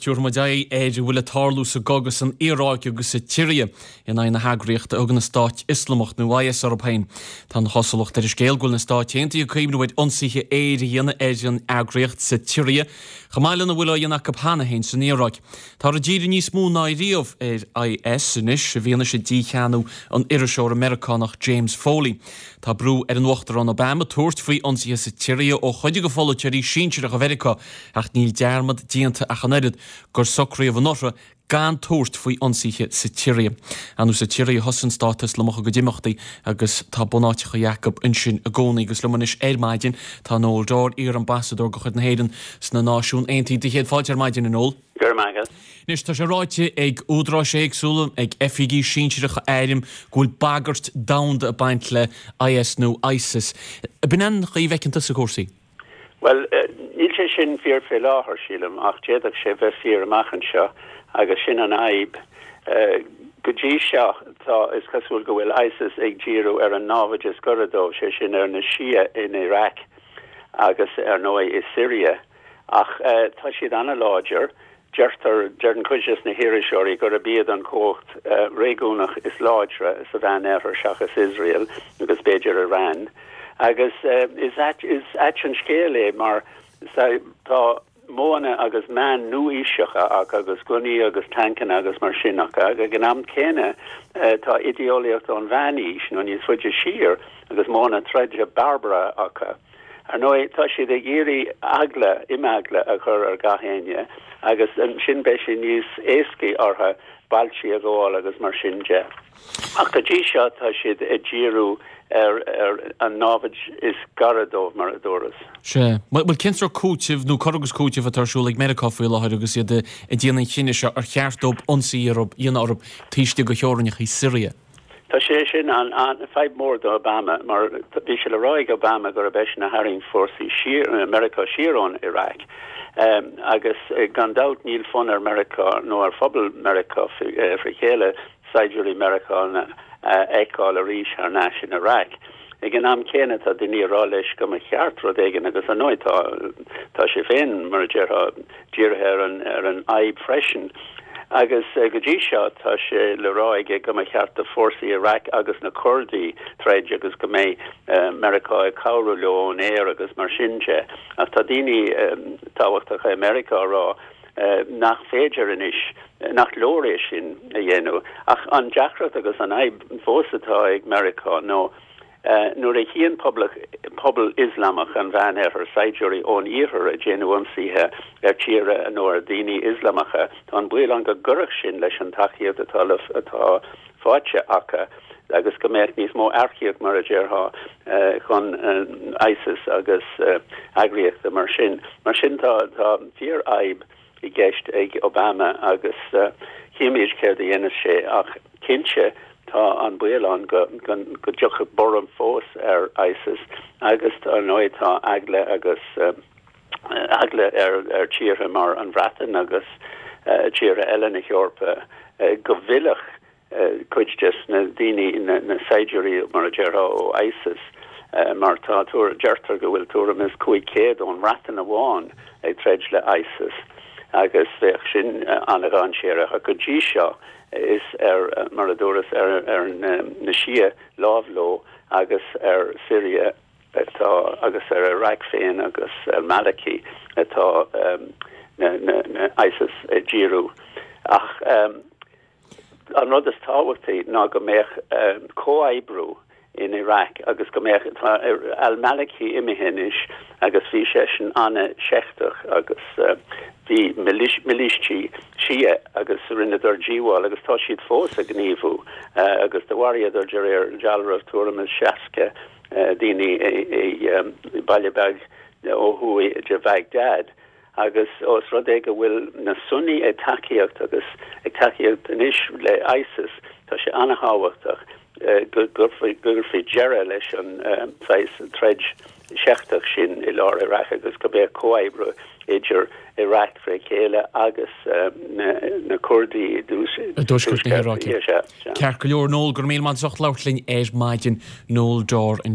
tabharfaidh muid aghaidh ar a bhfuil ag tarlú sa gcogadh san Iaráic agus sa tSiria in aghaidh na heagraíochta a thugann an Stát Ioslamach nó IS orthu féin. Tá an chosúlacht ar an scéal go bhfuil na Stáit Aontaithe ag cuimhneamh ar ionsaithe aeir a dhéanamh ar an eagraíocht sa tSiria chomh maith lena bhfuil á dhéanamh acu cheana féin san Iaráic. Táthar ag díriú níos mó ná riamh ar IS anois i bhfianaise dícheannú an iriseora Meiriceánach James Foley. Tá brú ar an Uachtarán Obama tabhairt faoi ionsaithe sa tSiria ó chuid de pholaiteoirí sinsearacha Mheiriceá ach níl dearmad déanta ach an oiread gur socraíodh anuraidh gan tabhairt faoi ionsaithe sa tSiria. Ar ndóigh sa tSiria a thosaigh an Stát Ioslamach a gcuid imeachtaí agus tá bunáiteacha acu ansin i gcónaí. Agus liom anois ar maidin tá Noel Dorr, iar-ambasadóir de chuid na hÉireann sna Náisiúin Aontaithe. Do chéad fáilte ar maidin, a Noel. Go raibh maith agat. Anois, tá sé ráite ag údaráis éagsúla, ag oifigigh sinsearacha airm, go bhfuil bagairt domhanda ag baint le IS nó ISIS. Ab in an chaoi a bhfeiceann tusa cúrsaí? Bhuel, níl sé sin fíor fé láthair, sílim, ach d'fhéadfadh sé bheith fíor amach anseo agus sin an fhadhb. Go dtí seo, tá, is cosúil go bhfuil ISIS ag díriú ar an námhaid is gaire dóibh, sé sin ar na Shia in Iraq agus, ar ndóigh, i Siria. Ach tá siad an-láidir. Deirtear, deireann cuid des na hiriseoirí gurb iad an chumhacht réigiúnach is láidre sa Mheán-Oirthear seachas Iosrael agus b'fhéidir Iran. Agus is ait, is ait an scéal é mar tá modhanna agus meáin nua-aoiseacha acu agus gunnaí agus tancanna agus mar sin acu ach ag an am céanna tá idéolaíocht ón mheánaois nó níos faide siar agus modhanna troide barbartha acu. Ar ndóigh, tá siad ag iarraidh eagla, imeagla a chur ar gach éinne agus ansin beidh sé níos éascaí orthu bailtí a ghabháil agus mar sin de. Ach go dtí seo tá siad ag díriú ar ar an námhaid is gaire dóibh, mar a dúras. Sea. Bhuel, cén sórt cúitimh nó cur agus cúiteamh atá ar siúl ag Meiriceá faoi láthair agus iad ag déanamh an chinnidh seo ar cheart dóibh ionsaí a dhéanamh orthu taobh istigh de theorainneacha Siria? Tá sé sin an, fadhb mór do Obama mar bhí sé le rá ag Obama gurb eisean a tharraing fórsaí siar, Meiriceá siar ón Iraq agus gan dabht níl fonn ar Meiriceá nó ar phobal Meiriceá fré chéile saighdiúirí Meiriceánacha a fheiceáil arís thar n-ais in Iraq. Ag an am céanna tá daoine ag rá leis go mba cheart rud éigin agus ar ndóigh tá tá sé féin mar a déarfá dírithe ar an ar an fhadhb freisin. Agus go dtí seo tá sé le rá aige go mba cheart do fórsaí Iraq agus na Curdaigh troid agus go mbeidh Meiriceá ag cabhrú leo ón aer agus mar sin de. Ach tá daoine tábhachtacha i Meiriceá ag rá nach féidir anois, nach leor é sin a dhéanamh. Ach an deacracht agus an fhadhb fós atá ag Meiriceá nó nuair a chíonn pobal Ioslamach an Mheán-Oirthir saighdiúirí ón Iarthar ag déanamh ionsaithe ar tíortha nó ar dhaoine Ioslamacha, tá an baol ann go gcuirfeadh sin leis an tacaíocht atá atá faighte acu agus go mbeadh níos mó earcaíocht, mar a déarfá, chun ISIS agus eagraíochta mar sin. Mar sin tá tá fíorfhadhb i gceist ag Obama agus chífimid céard a dhéanfas sé ach cinnte tá an baol ann go go dtiocfaidh borradh fós ar ISIS agus ar ndóigh tá eagla agus eagla ar ar tíortha mar an Bhreatain agus tíortha eile na hEorpa go bhfillfeadh cuid des na daoine, na saighdiúirí mar a déarfá ó ISIS, mar tá, deirtear go bhfuil tuairim is 500 ón mBreatain amháin ag troid le ISIS agus bheadh sin an-dhainséarach. Ach go dtí seo is ar, mar a dúras, ar ar na Shia láimh leo agus ar Syria atá agus ar Iraq féin agus al-Maliki atá na na ISIS ag díriú. Ach. An rud is tábhachtaí ná go mbeadh comhoibriú in Iraq agus go mbeadh, tá al-Maliki imithe anois agus bhí seisean an-seicteach agus bhí milístí Shia agus rinneadar díobháil agus tá siad fós ag gníomhú agus do mharaíodar de réir dealraimh tuairim is 60 daoine i baile beag ó thuaidh de Bhagdad. Agus ós rud é go bhfuil na Sunni ag tacaíocht agus ag tacaíocht anois le ISIS, tá sé an-thábhachtach go gcuirfí deireadh leis an saghas troid sheicteach sin i lár Iraq agus go mbeadh comhoibriú idir Iraq fré chéile agus na Curdaigh i dtuaisceart na hIaráice. Ceart go leor, Noel, go raibh míle maith agat as ucht labhairt linn ar maidin. Noel Dorr ansin.